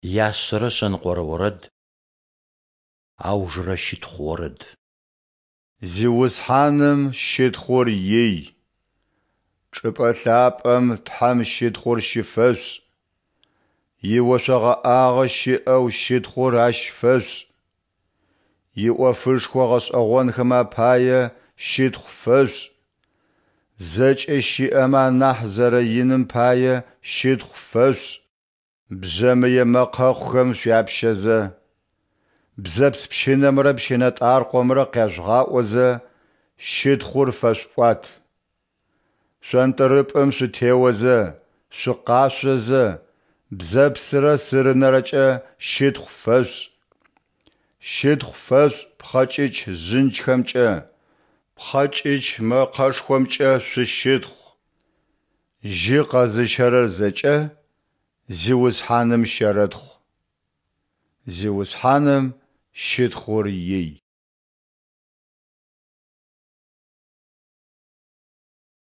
Яшъэрэ шъэныкъорэ орэд. Аужырэ щытхъу орэд. Зиусхьаным щытхъур ий! Чӏыпӏэ лъапӏэм Тхьэм щытхъур щыфэшъушӏ. Иошъо гъэӏагъэ щыӏэу щытхъур Ащ фэшъушӏ. Иӏофышхо гъэшӏэгъонхэм апае щытхъу фэшъушӏ. Зэкӏэ щыӏэмэ анахь зэрэиным пае щытхъу фэшъушӏ. Бжъэмые мэкъэхъухэм шъуяпщэзэ, бзэпс пщынэмрэ пщынэтӏаркъомрэ къяжъугъаӏозэ, щытхъур фэшъуӏуат. Шъонтӏрыпӏым шъутеозэ, шъукъашъозэ, бзэпсрэ сырынэрэкӏэ щытхъу фэшъушӏ. Щытхъу фэшъушӏ пхъэкӏыч жъынчхэмкӏэ, пхъэкӏыч мэкъэшхомкӏэ шъущытхъу. Жьы къэзыщэрэр зэкӏэ Зиусхьаным щэрэтхъу. Зиусхьаным щытхъур ий!